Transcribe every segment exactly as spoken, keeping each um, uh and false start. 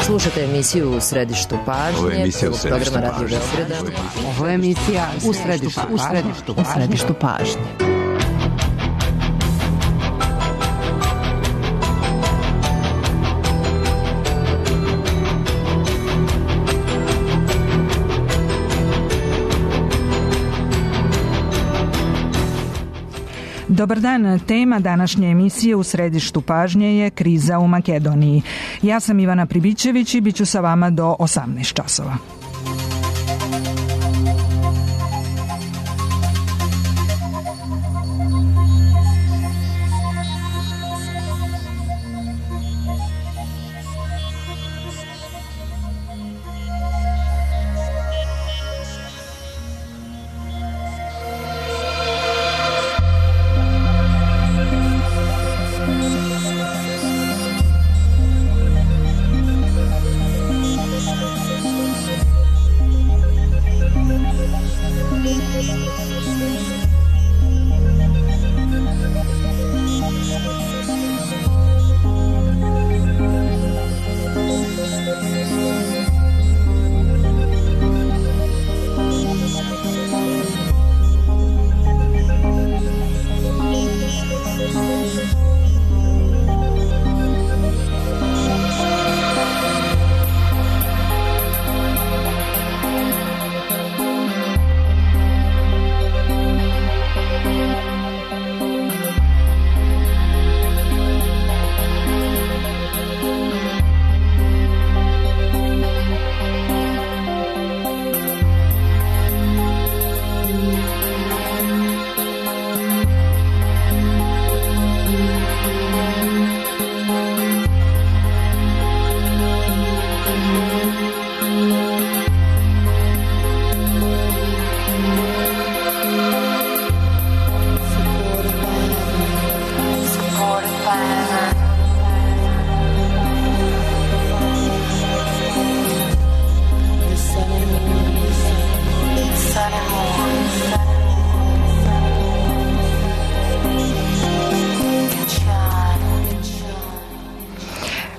Slušate emisiju U središtu pažnje. Ovo je emisija U središtu programa Radio pažnje. Beograda. Ovo je emisija U središtu pažnje. U središtu pažnje. Dobar dan, tema današnje emisije U središtu pažnje je kriza u Makedoniji. Ja sam Ivana Pribićević i bit ću sa vama do osamnaest časova.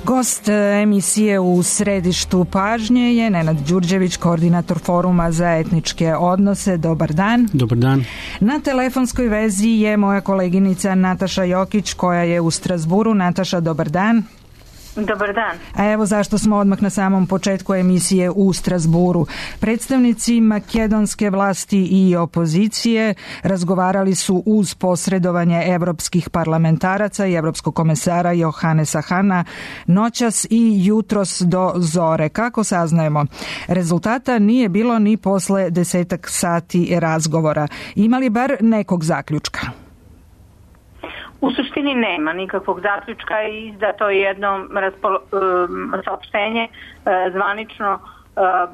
Gost emisije U središtu pažnje je Nenad Đurđević, koordinator Foruma za etničke odnose. Dobar dan. Dobar dan. Na telefonskoj vezi je moja koleginica Nataša Jokić koja je u Strazburu. Nataša, dobar dan. Dobar dan. A evo zašto smo odmah na samom početku emisije u Strazburu. Predstavnici makedonske vlasti i opozicije razgovarali su uz posredovanje evropskih parlamentaraca i evropskog komesara Johanesa Hana noćas i jutros do zore. Kako saznajemo? Rezultata nije bilo ni posle desetak sati razgovora. Ima li bar nekog zaključka? U suštini nema nikakvog zaključka i izdato je jedno raspolo, saopštenje zvanično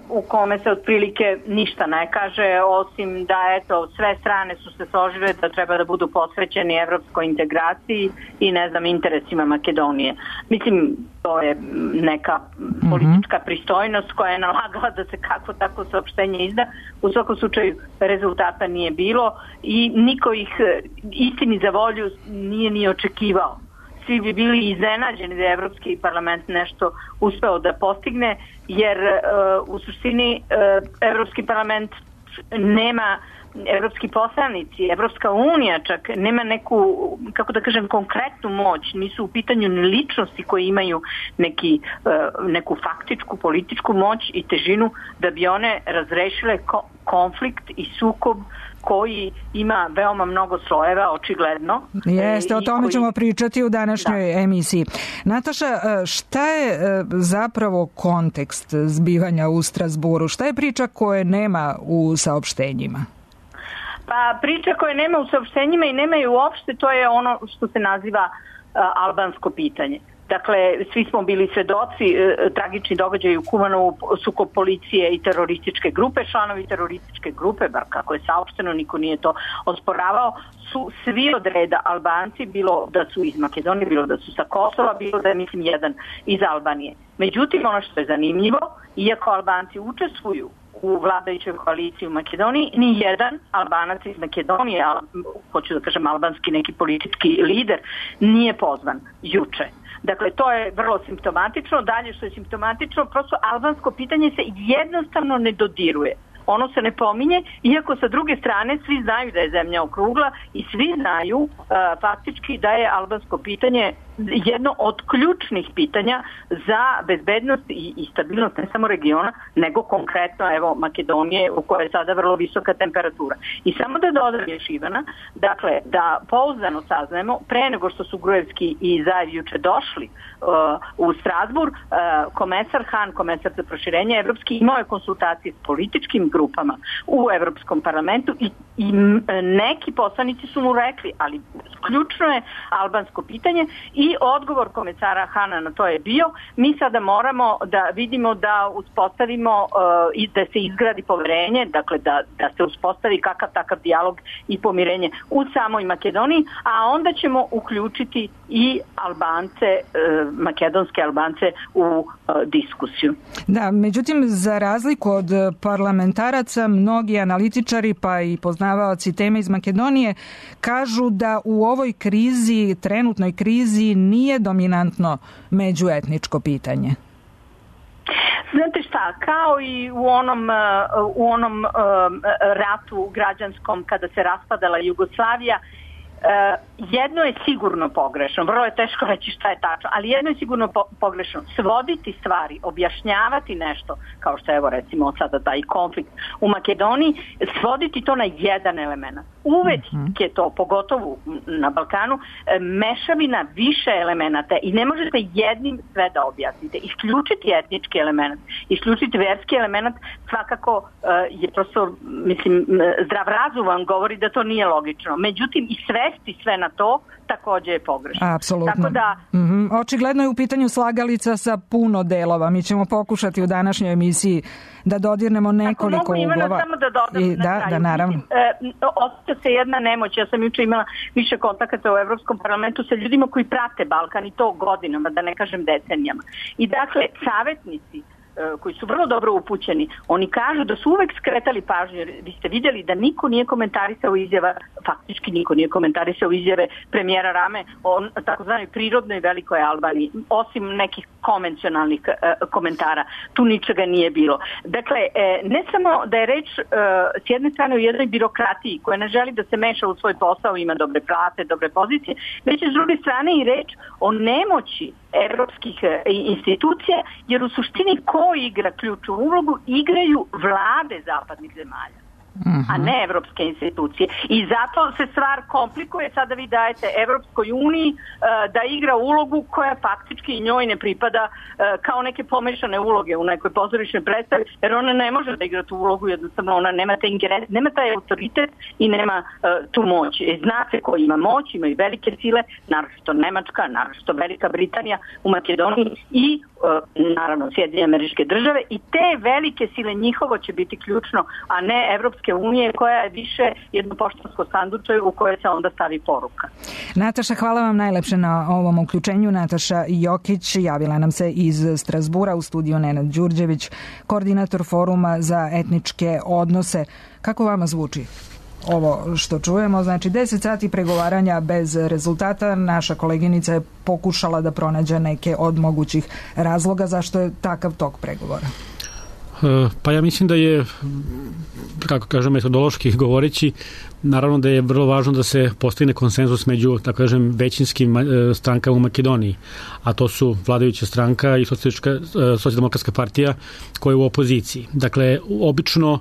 u kome se otprilike ništa ne kaže, osim da eto sve strane su se složile da treba da budu posvećeni evropskoj integraciji i ne znam interesima Makedonije. Mislim, to je neka politička pristojnost koja je nalagala da se kako tako saopštenje izda. U svakom slučaju rezultata nije bilo i niko ih istini za volju nije ni očekivao. Svi bi bili iznenađeni da je Evropski parlament nešto uspeo da postigne, jer uh, u suštini uh, Evropski parlament nema, evropski poslanici, Evropska unija čak nema neku, kako da kažem, konkretnu moć, nisu u pitanju ni ličnosti koje imaju neki, uh, neku faktičku političku moć i težinu da bi one razrešile ko- konflikt i sukob koji ima veoma mnogo slojeva, očigledno. Jeste, o tome koji... ćemo pričati u današnjoj da. emisiji. Nataša, šta je zapravo kontekst zbivanja u Strazburu? Šta je priča koje nema u saopštenjima? Pa priča koje nema u saopštenjima i nema je uopšte, to je ono što se naziva uh, albansko pitanje. Dakle, svi smo bili svedoci e, tragični događaj u Kumanovu, sukob policije i terorističke grupe. Članovi terorističke grupe, bar kako je saopšteno, niko nije to osporavao, su svi od reda Albanci, bilo da su iz Makedonije, bilo da su sa Kosova, bilo da je, mislim, jedan iz Albanije. Međutim, ono što je zanimljivo, iako Albanci učestvuju u vladajućoj koaliciji u Makedoniji, ni jedan Albanac iz Makedonije, al, hoću da kažem albanski neki politički lider, nije pozvan juče. Dakle, to je vrlo simptomatično. Dalje što je simptomatično, prosto albansko pitanje se jednostavno ne dodiruje. Ono se ne pominje, iako sa druge strane svi znaju da je zemlja okrugla i svi znaju uh, faktički da je albansko pitanje jedno od ključnih pitanja za bezbednost i, i stabilnost ne samo regiona, nego konkretno evo Makedonije u kojoj je sada vrlo visoka temperatura. I samo da dodam još Ivana, dakle da pouzdano saznajemo, pre nego što su Gruevski i Zaev juče došli uh, u Strasbourg, uh, komesar Han, komesar za proširenje evropski, imao je konsultacije s političkim grupama u Evropskom parlamentu i, i neki poslanici su mu rekli, ali ključno je albansko pitanje i odgovor komesara Hana na to je bio, mi sada moramo da vidimo da uspostavimo uh, i da se izgradi poverenje, dakle da, da se uspostavi kakav takav dijalog i pomirenje u samoj Makedoniji, a onda ćemo uključiti i Albance, uh, makedonske Albance u uh, diskusiju. Da, međutim, za razliku od parlamentaraca, mnogi analitičari pa i poznavaoci teme iz Makedonije kažu da u ovoj krizi, trenutnoj krizi, nije dominantno međuetničko pitanje. Znate šta, kao i u onom, u onom ratu građanskom kada se raspadala Jugoslavija, jedno je sigurno pogrešno, vrlo je teško reći šta je tačno, ali jedno je sigurno po- pogrešno, svoditi stvari, objašnjavati nešto, kao što je evo recimo sada taj konflikt u Makedoniji, svoditi to na jedan element. Uvek je to, pogotovo na Balkanu, mešavina više elemenata i ne možete jednim sve da objasnite. Isključiti etnički element, isključiti verski element svakako je prosto, mislim, zdrav razum vam govori da to nije logično. Međutim, i svesti sve na to takođe je pogrešno. Apsolutno. Tako da, mm-hmm. Očigledno je u pitanju slagalica sa puno delova. Mi ćemo pokušati u današnjoj emisiji da dodirnemo nekoliko ako mogu, uglova. Ivana, samo da dodam I, na da, kraju. da, naravno. Mislim, e, osjeća se jedna nemoć. Ja sam juče imala više kontakata u Evropskom parlamentu sa ljudima koji prate Balkan i to godinama, da ne kažem decenijama. I dakle, savjetnici koji su vrlo dobro upućeni, oni kažu da su uvek skretali pažnju, jer vi ste vidjeli da niko nije komentarisao izjava, faktički niko nije komentarisao izjave premijera Rame o takozvanoj prirodnoj velikoj Albaniji, osim nekih konvencionalnih e, komentara. Tu ničega nije bilo. Dakle, e, ne samo da je reč e, s jedne strane u jednoj birokratiji koja ne želi da se meša u svoj posao, ima dobre plate, dobre pozicije, već je s druge strane i reč o nemoći evropskih institucija, jer u suštini ko igra ključnu ulogu, igraju vlade zapadnih zemalja, a ne evropske institucije. I zato se stvar komplikuje. Sada vi dajete Evropskoj uniji uh, da igra ulogu koja faktički njoj ne pripada, uh, kao neke pomešane uloge u nekoj pozorišnoj predstavi, jer ona ne može da igra tu ulogu, jednostavno ona nema, te ingeren, nema taj autoritet i nema uh, tu moć. I zna se ko ima moć, ima i velike sile, naročito Nemačka, naročito Velika Britanija u Makedoniji i uh, naravno Sjedinjene Američke Države, i te velike sile, njihovo će biti ključno, a ne Evropske unije koja je više jedno poštansko sanduče u koje se onda stavi poruka. Nataša, hvala vam najlepše na ovom uključenju. Nataša Jokić javila nam se iz Strasbura, u studiju Nenad Đurđević, koordinator Foruma za etničke odnose. Kako vama zvuči ovo što čujemo? Znači, deset sati pregovaranja bez rezultata. Naša koleginica je pokušala da pronađe neke od mogućih razloga zašto je takav tok pregovora. Pa ja mislim da je, kako kažem, metodološki govoreći, naravno da je vrlo važno da se postigne konsenzus među, tako kažem, većinskim strankama u Makedoniji, a to su vladajuća stranka i Socijaldemokratska partija koja je u opoziciji. Dakle, obično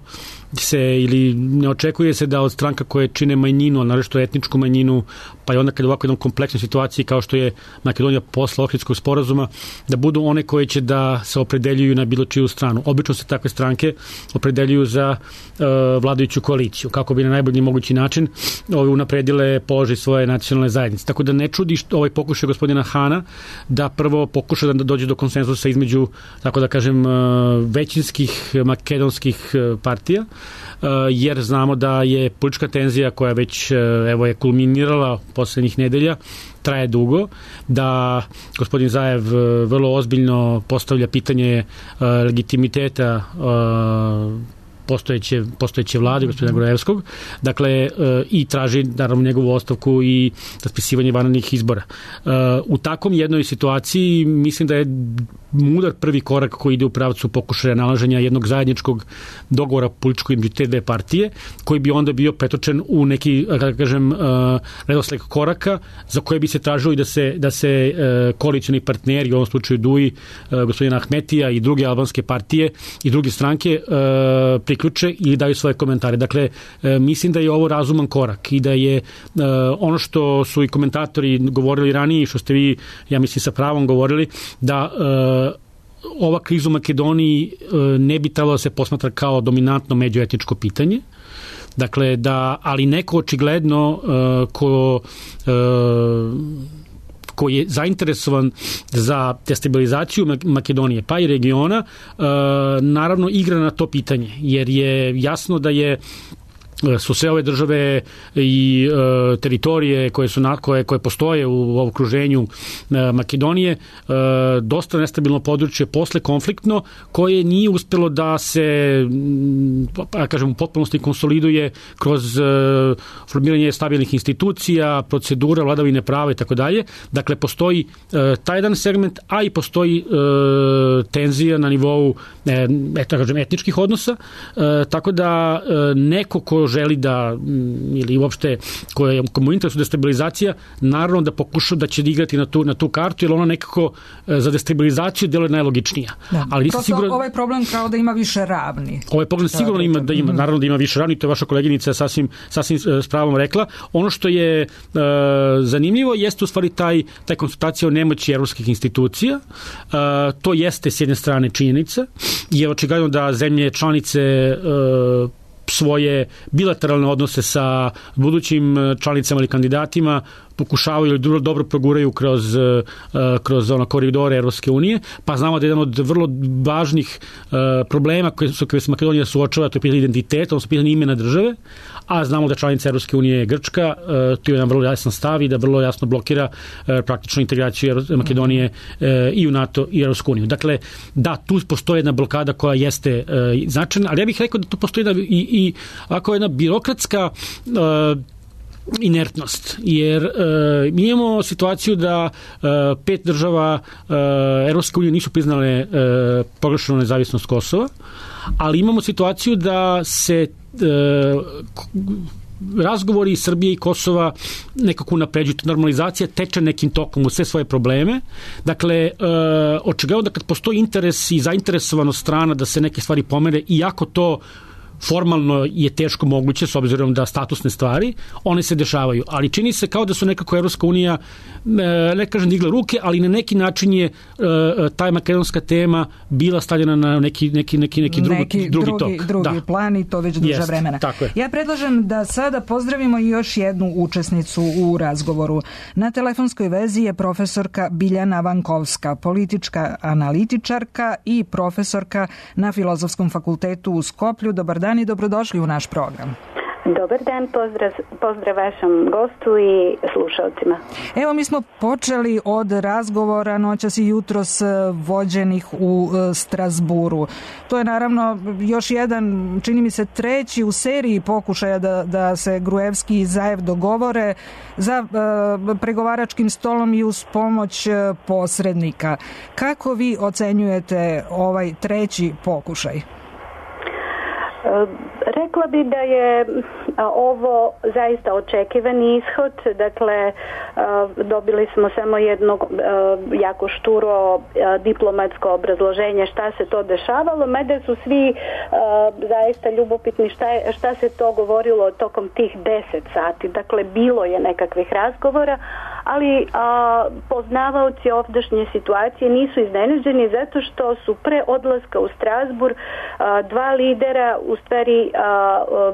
se ili ne očekuje se da od stranka koje čine manjinu, naročito etničku manjinu, pa i onda kad je ovako jednom kompleksnoj situaciji kao što je Makedonija posle Ohridskog sporazuma, da budu one koje će da se opredeljuju na bilo čiju stranu. Obično se takve stranke opredeljuju za uh, vladajuću koaliciju, kako bi na najbolji mogući način ove unapredile položaj svoje nacionalne zajednice. Tako da ne čudi što ovaj pokušaj gospodina Hana da prvo pokuša da dođe do konsenzusa između, tako da kažem, većinskih makedonskih partija, jer znamo da je politička tenzija koja već evo je kulminirala poslednjih nedelja, traje dugo, da gospodin Zaev vrlo ozbiljno postavlja pitanje legitimiteta postojeće, postojeće vlade gospodina Gruevskog, dakle i traži naravno njegovu ostavku i raspisivanje vanrednih izbora. U takvom jednoj situaciji mislim da je mudar prvi korak koji ide u pravcu pokušaja nalaženja jednog zajedničkog dogovora političkog između te dve partije, koji bi onda bio pretočen u neki, kako kažem, redosled koraka za koje bi se tražilo i da se, da se koalicioni partneri, u ovom slučaju D U I, gospodina Ahmetija i druge albanske partije i druge stranke priključe ili daju svoje komentare. Dakle, mislim da je ovo razuman korak i da je ono što su i komentatori govorili ranije i što ste vi, ja mislim, sa pravom govorili, da ova kriza u Makedoniji ne bi trebalo da se posmatra kao dominantno međuetničko pitanje. Dakle, da, ali neko očigledno uh, ko, uh, ko je zainteresovan za destabilizaciju Makedonije, pa i regiona, uh, naravno igra na to pitanje, jer je jasno da je su sve ove države i e, teritorije koje su na, koje, koje postoje u okruženju e, Makedonije, e, dosta nestabilno područje posle konfliktno, koje nije uspelo da se pa kažem u potpunosti konsoliduje kroz e, formiranje stabilnih institucija, procedura, vladavine prava i tako dalje. Dakle, postoji e, taj jedan segment, a i postoji e, tenzija na nivou e, eto, kažem, etničkih odnosa, e, tako da e, neko ko želi da, ili uopšte koja komu interesu destabilizacija, naravno da pokuša da će igrati na tu, na tu kartu, jer ona nekako za destabilizaciju deluje najlogičnija. Da. Ali sigurno, ovaj problem kao da ima više ravni. Ovaj problem sigurno ima, da ima, naravno da ima više ravni, to je vaša koleginica sasvim, sasvim s pravom rekla. Ono što je uh, zanimljivo jeste u stvari taj, taj konsultacija o nemoći evropskih institucija. Uh, to jeste s jedne strane činjenica, je očigledno da zemlje članice uh, svoje bilateralne odnose sa budućim članicama ili kandidatima pokušavaju ili dobro proguraju kroz, kroz ono koridore Evropske unije, pa znamo da je jedan od vrlo važnih problema koje su koje se Makedonija suočava, to je pitanje identiteta, odnosno pitanje imena države, a znamo da članica Evropske unije je Grčka, to je jedan vrlo jasan stav i da vrlo jasno blokira praktično integraciju Makedonije i u NATO i Evropsku uniju. Dakle, da, tu postoji jedna blokada koja jeste značajna, ali ja bih rekao da tu postoji jedna, i, i ako jedna birokratska inertnost, jer e, mi imamo situaciju da e, pet država e, Evropske unije nisu priznale e, proglašenu nezavisnost Kosova, ali imamo situaciju da se e, razgovori Srbije i Kosova nekako napređuju, normalizacija teče nekim tokom u sve svoje probleme. Dakle, e, očigledno da kad postoji interes i zainteresovanost strana da se neke stvari pomere, iako to formalno je teško moguće s obzirom da statusne stvari, one se dešavaju. Ali čini se kao da su nekako Evropska unija, ne kažem digla ruke, ali na neki način je taj makedonska tema bila stavljena na neki, neki, neki, neki, drugi, neki drugi, drugi tok. Drugi da. plan i to već duže Jest, vremena. Ja predlažem da sada pozdravimo još jednu učesnicu u razgovoru. Na telefonskoj vezi je profesorka Biljana Vankovska, politička analitičarka i profesorka na Filozofskom fakultetu u Skoplju. Dobar dan i dobrodošli u naš program. Dobar dan, pozdrav, pozdrav vašem gostu i slušalcima. Evo, mi smo počeli od razgovora noćas i jutros vođenih u Strasburu. To je naravno još jedan, čini mi se, treći u seriji pokušaja da, da se Gruevski i Zaev dogovore za uh, pregovaračkim stolom i uz pomoć posrednika. Kako vi ocenjujete ovaj treći pokušaj? Rekla bi da je ovo zaista očekivani ishod, dakle dobili smo samo jedno jako šturo diplomatsko obrazloženje šta se to dešavalo, mada su svi zaista ljubopitni šta, je, šta se to govorilo tokom tih deset sati, dakle bilo je nekakvih razgovora, ali a, poznavaoci ovdašnje situacije nisu iznenađeni zato što su pre odlaska u Strasburg a, dva lidera u stvari a, a,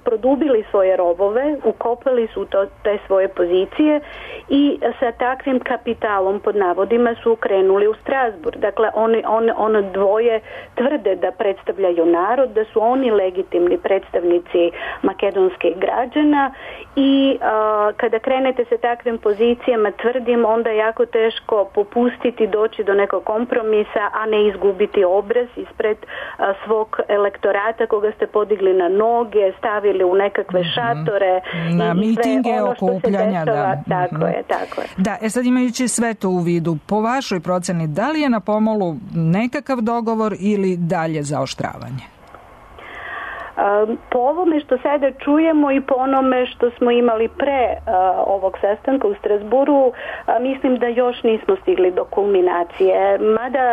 produbili svoje rovove, ukopali su to, te svoje pozicije i sa takvim kapitalom pod navodima su krenuli u Strasbourg. Dakle, oni, on, ono dvoje tvrde da predstavljaju narod, da su oni legitimni predstavnici makedonskih građana i a, kada krenete sa takvim pozicijama, tvrdim, onda je jako teško popustiti, doći do nekog kompromisa, a ne izgubiti obraz ispred a, svog elektorata koga ste podigli na noge, stavili u nekakve šatore na i mitinge, sve ono što okupljanja, se dešava. da. Tako Mm-hmm. je, tako je. Da, e sad imajući sve to u vidu, po vašoj proceni, da li je na pomolu nekakav dogovor ili dalje zaoštravanje? Po ovome što sada čujemo i po onome što smo imali pre uh, ovog sastanka u Strasburu, uh, mislim da još nismo stigli do kulminacije. Mada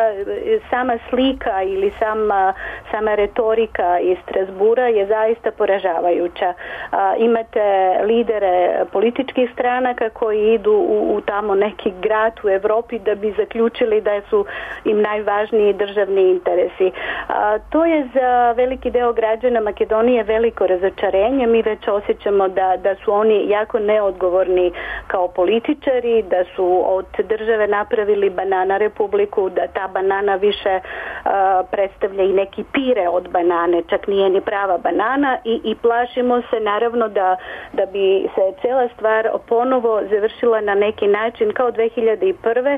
sama slika ili sama, sama retorika iz Strasbura je zaista poražavajuća. Uh, imate lidere političkih stranaka koji idu u, u tamo neki grad u Evropi da bi zaključili da su im najvažniji državni interesi. Uh, to je za veliki deo građana Makedonije veliko razočarenje. Mi već osjećamo da, da su oni jako neodgovorni kao političari, da su od države napravili banana republiku, da ta banana više uh, predstavlja i neki pire od banane, čak nije ni prava banana i, i plašimo se naravno da, da bi se cela stvar ponovo završila na neki način kao dve hiljade prve,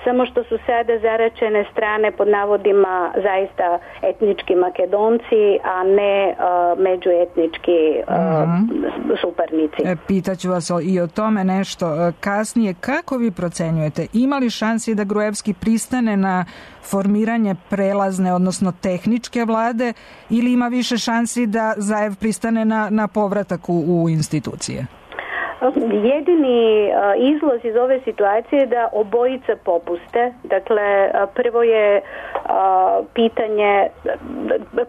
samo što su sada zaračene strane pod navodima zaista etnički Makedonci, a ne uh, međuetnički uh, mm-hmm. suparnici. E, pitaću vas i o tome nešto kasnije. Kako vi procenjujete? Ima li šansi da Gruevski pristane na formiranje prelazne, odnosno tehničke vlade, ili ima više šansi da Zaev pristane na, na povratak u, u institucije? Jedini uh, izlaz iz ove situacije je da obojica popuste. Dakle, uh, prvo je uh, pitanje,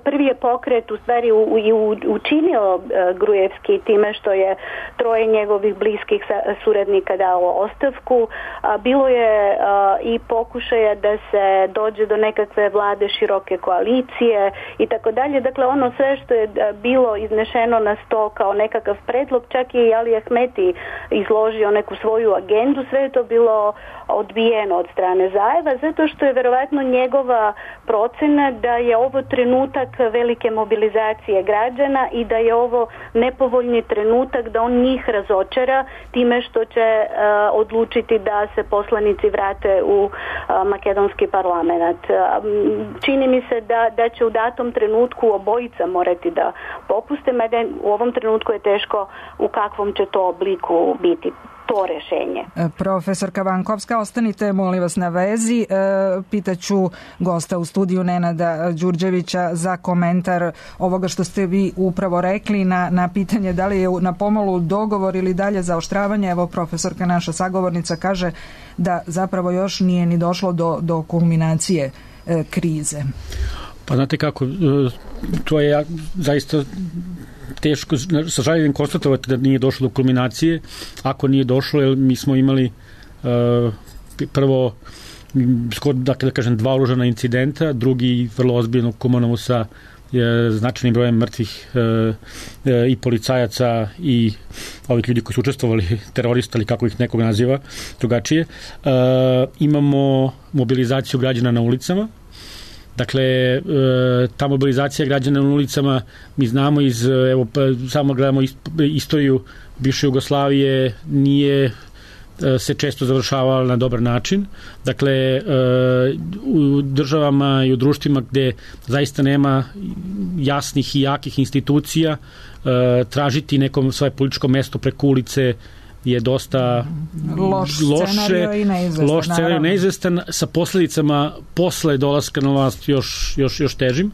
prvi je pokret u stvari u, u, učinio uh, Gruevski time što je troje njegovih bliskih suradnika dalo ostavku. Uh, bilo je uh, i pokušaja da se dođe do nekakve vlade široke koalicije i tako dalje. Dakle, ono sve što je bilo iznešeno na sto kao nekakav predlog, čak i Ali Ahmeti izložio neku svoju agendu, sve je to bilo odbijeno od strane Zaeva, zato što je verovatno njegova procena da je ovo trenutak velike mobilizacije građana i da je ovo nepovoljni trenutak da on njih razočara time što će uh, odlučiti da se poslanici vrate u uh, makedonski parlament. Uh, čini mi se da, da će u datom trenutku obojica morati da popuste, mada u ovom trenutku je teško u kakvom će to obliku biti to rešenje. Profesorka Vankovska, ostanite molim vas na vezi. Pitaću gosta u studiju Nenada Đurđevića za komentar ovoga što ste vi upravo rekli na, na pitanje da li je na pomolu dogovor ili dalje zaoštravanje. Evo, profesorka naša sagovornica kaže da zapravo još nije ni došlo do, do kulminacije e, krize. Pa znate kako, to je zaista teško, sa žaljenjem konstatovati da nije došlo do kulminacije. Ako nije došlo, jer mi smo imali uh, prvo skoro, dakle, da kažem, dva oružana incidenta, drugi vrlo ozbiljno komonovu sa je, značajnim brojem mrtvih uh, i policajaca i ovih ljudi koji su učestvovali, terorista ili kako ih nekog naziva drugačije. Uh, imamo mobilizaciju građana na ulicama. Dakle, ta mobilizacija građana na ulicama, mi znamo iz, evo, samo gledamo istoriju bivše Jugoslavije, nije se često završavala na dobar način. Dakle, u državama i u društvima gde zaista nema jasnih i jakih institucija, tražiti nekom svoje političko mesto preko ulice je dosta loš scenario i neizvestan, loš scenario neizvestan, sa posledicama posle dolaska na vlast još, još, još težim.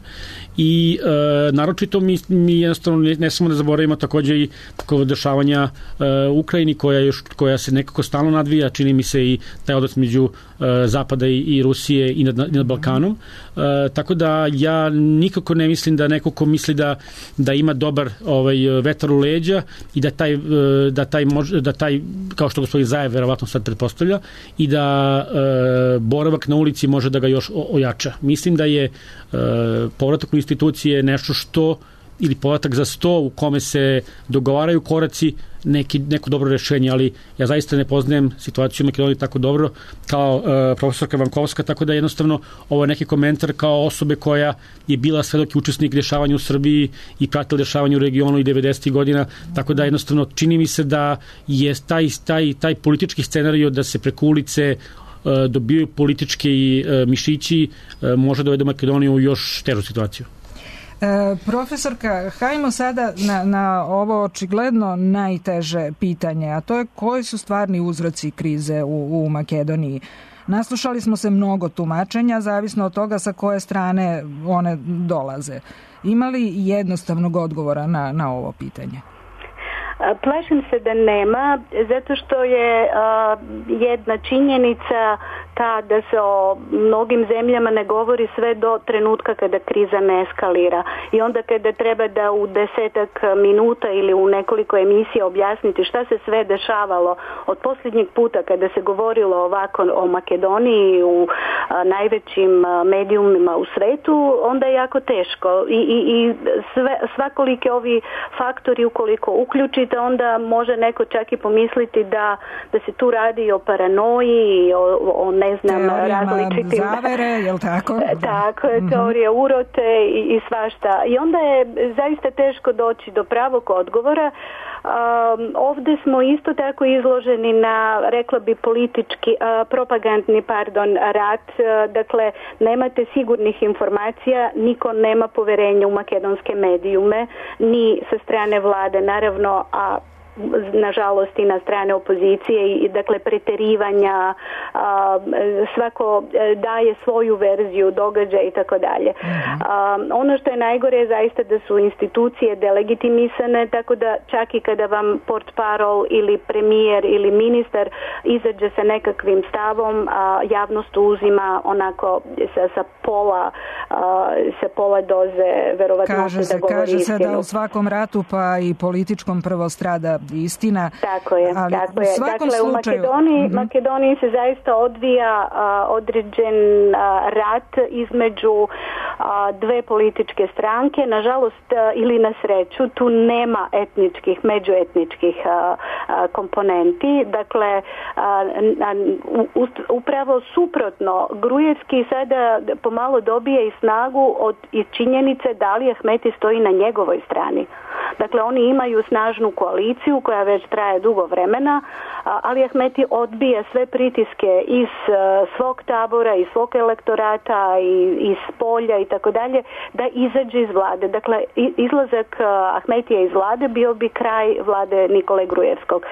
I e, naročito mi, mi jednostavno ne, ne samo da zaboravimo takođe i tako dešavanja e, u Ukrajini koja, još, koja se nekako stalno nadvija, čini mi se i taj odnos među e, Zapada i, i Rusije i nad, i nad Balkanom. E, tako da ja nikako ne mislim da neko ko misli da, da ima dobar ovaj, vetar u leđa i da taj, da taj, može, da taj kao što gospodin Zaev verovatno sad pretpostavlja i da e, boravak na ulici može da ga još ojača. Mislim da je e, povratak u institucije nešto što ili podatak za sto u kome se dogovaraju koraci, neki, neko dobro rešenje, ali ja zaista ne poznajem situaciju u Makedoniji tako dobro kao uh, profesorka Vankovska, tako da jednostavno ovo je neki komentar kao osobe koja je bila svedok i učesnik dešavanja u Srbiji i pratila dešavanja u regionu i devedesetih godina, tako da jednostavno čini mi se da je taj, taj, taj politički scenario da se preko ulice uh, dobijaju politički uh, mišići uh, može dovede Makedoniju u još težu situaciju. E, profesorka, hajmo sada na, na ovo očigledno najteže pitanje, a to je koji su stvarni uzroci krize u, u Makedoniji. Naslušali smo se mnogo tumačenja, zavisno od toga sa koje strane one dolaze. Ima li jednostavnog odgovora na, na ovo pitanje? Plašim se da nema, zato što je a, jedna činjenica ta da se o mnogim zemljama ne govori sve do trenutka kada kriza ne eskalira. I onda kada treba da u desetak minuta ili u nekoliko emisija objasniti šta se sve dešavalo od posljednjeg puta kada se govorilo ovako o Makedoniji u a, najvećim a, medijumima u svetu, onda je jako teško. I, i, i sve, svakolike ovi faktori ukoliko uključite, onda može neko čak i pomisliti da, da se tu radi o paranoji, o, o ne znam, različitim zavere, jel tako? Tako je, teorija urote i, i svašta. I onda je zaista teško doći do pravog odgovora. Um, ovdje smo isto tako izloženi na, rekla bi, politički, uh, propagandni, pardon, rat. Uh, dakle, nemate sigurnih informacija, niko nema poverenja u makedonske medijume, ni sa strane vlade, naravno, a nažalost i na strane opozicije i dakle preterivanja, a, svako daje svoju verziju događaja i tako dalje. Ono što je najgore je zaista da su institucije delegitimisane, tako da čak i kada vam portparol ili premijer ili ministar izađe sa nekakvim stavom, a, javnost uzima onako sa, sa pola a, sa pola doze verovatnoće da govori kaže istinu. Se da u svakom ratu pa i političkom prvo strada istina. Tako je, ali tako u je. svakom Dakle, slučaju, u Makedoniji, mm-hmm. Makedoniji se zaista odvija a, određen a, rat između a, dve političke stranke. Nažalost, a, ili na sreću, tu nema etničkih, međuetničkih a, a, komponenti. Dakle, a, a, u, upravo suprotno, Grujevski sada pomalo dobije i snagu od iz činjenice da Ali Ahmeti stoji na njegovoj strani. Dakle, oni imaju snažnu koaliciju koja već traje dugo vremena, Ali Ahmeti odbija sve pritiske iz svog tabora, iz svog elektorata, iz polja i tako dalje, da izađe iz vlade. Dakle, izlazak Ahmetija iz vlade bio bi kraj vlade Nikole Grujevskog.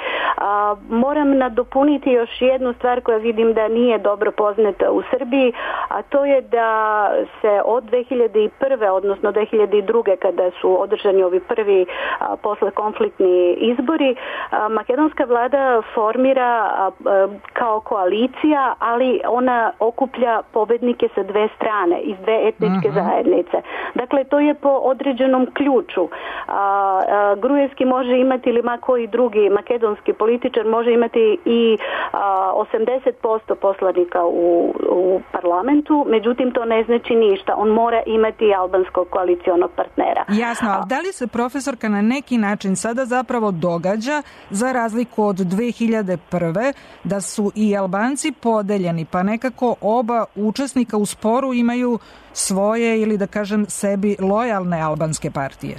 Moram nadopuniti još jednu stvar koja vidim da nije dobro poznata u Srbiji, a to je da se od dve hiljade prve. odnosno dve hiljade druge. kada su održani ovi prvi a, posle konfliktni izbori, a, makedonska vlada formira a, a, kao koalicija, ali ona okuplja pobednike sa dve strane, iz dve etničke uh-huh. zajednice. Dakle, to je po određenom ključu. A, a, Grujevski može imati, ili ma koji drugi makedonski političar može imati i a, osamdeset posto poslanika u, u parlamentu, međutim to ne znači ništa. On mora imati albanskog koalicionog partnera. Jasno, ali da li se profesorka na neki način sada zapravo događa, za razliku od dve hiljade prve. da su i Albanci podeljeni, pa nekako oba učesnika u sporu imaju svoje, ili da kažem sebi lojalne albanske partije?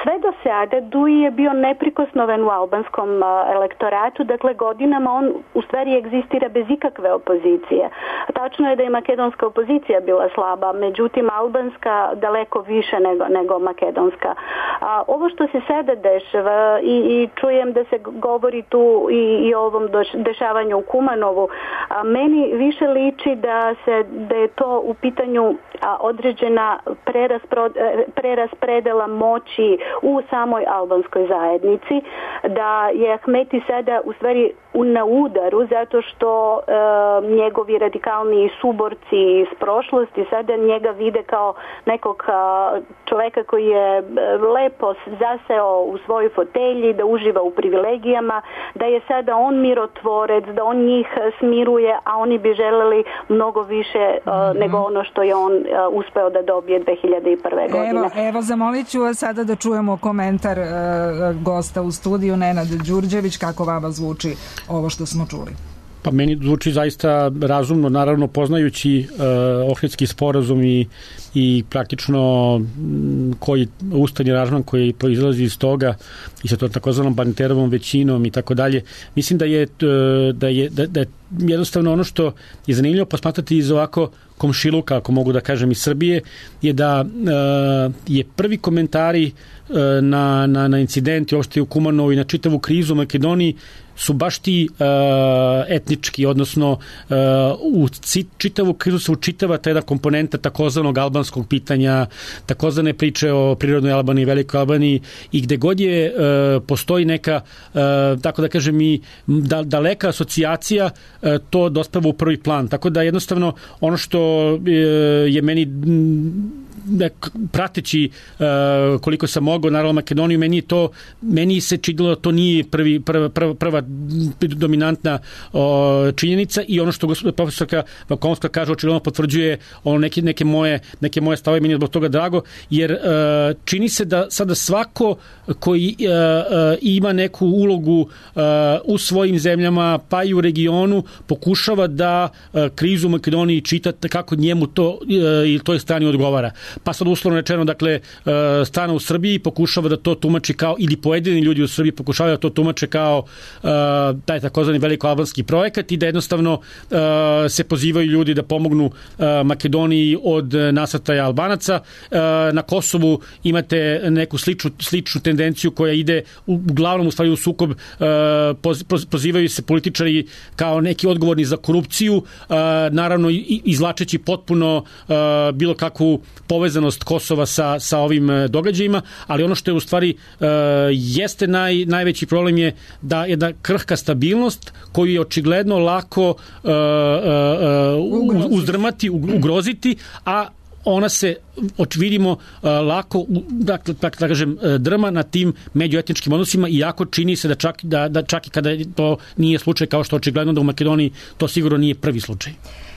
Sve do sada Duji je bio neprikosnoven u albanskom elektoratu, dakle godinama on u stvari egzistira bez ikakve opozicije. Tačno je da je makedonska opozicija bila slaba, međutim albanska daleko više nego, nego makedonska. A, ovo što se sada dešava i, i čujem da se govori tu i, i o ovom dešavanju u Kumanovu, a, meni više liči da, se, da je to u pitanju a, određena preraspredela moći u samoj albanskoj zajednici, da je Ahmeti sada u stvari na udaru zato što e, njegovi radikalni suborci iz prošlosti sada njega vide kao nekog a, čoveka koji je lepo zaseo u svojoj fotelji, da uživa u privilegijama, da je sada on mirotvorec, da on njih smiruje, a oni bi želeli mnogo više a, nego ono što je on a, uspeo da dobije dve hiljade prve. godine. Evo, evo zamolit ću vas sada da čujemo komentar e, gosta u studiju, Nenad Đurđević, kako vama zvuči ovo što smo čuli. Pa meni zvuči zaista razumno, naravno poznajući uh, Ohridski sporazum i, i praktično m, koji ustavni aranžman koji proizlazi iz toga i sa to takozvanom Barnterovom većinom i tako dalje. Mislim da je, da je, da, da je jednostavno ono što je zanimljivo posmatrati iz ovako komšiluka, ako mogu da kažem, iz Srbije, je da uh, je prvi komentari uh, na, na, na incidenti uopšte u Kumanovu i na čitavu krizu u Makedoniji su baš ti uh, etnički, odnosno uh, u čitavu krizu se učitava ta jedna komponenta takozvanog albanskog pitanja, takozvane priče o prirodnoj Albaniji, velikoj Albaniji i gde god je uh, postoji neka, uh, tako da kažem i da, daleka asocijacija, uh, to dospeva u prvi plan. Tako da jednostavno ono što uh, je meni prateći uh, koliko sam mogao naravno Makedoniju, meni je to meni se činilo da to nije prvi, prva, prva, prva dominantna uh, činjenica i ono što profesorka Vakomska kaže očigledno potvrđuje ono neke, neke moje neke moje stavove, meni je zbog toga drago jer uh, čini se da sada svako koji uh, uh, ima neku ulogu uh, u svojim zemljama pa i u regionu pokušava da uh, krizu u Makedoniji čita kako njemu to uh, ili toj strani odgovara. Pa sad uslovno rečeno, dakle, strana u Srbiji pokušava da to tumači kao, ili pojedini ljudi u Srbiji pokušavaju da to tumače kao uh, taj takozvani velikoalbanski projekat i da jednostavno uh, se pozivaju ljudi da pomognu uh, Makedoniji od nasrtaja Albanaca. Uh, na Kosovu imate neku sličnu, sličnu tendenciju koja ide u, uglavnom u stvari u sukob, uh, poz, pozivaju se političari kao neki odgovorni za korupciju, uh, naravno izlačeći potpuno uh, bilo kakvu povezanost Kosova sa, sa ovim događajima, ali ono što je u stvari uh, jeste naj, najveći problem je da jedna krhka stabilnost koju je očigledno lako uh, uh, uh, uzdrmati, ugroziti, a ona se vidimo uh, lako dakle da kažem drma na tim međuetničkim odnosima iako čini se da čak da da čak i kada to nije slučaj kao što očigledno da u Makedoniji to sigurno nije prvi slučaj.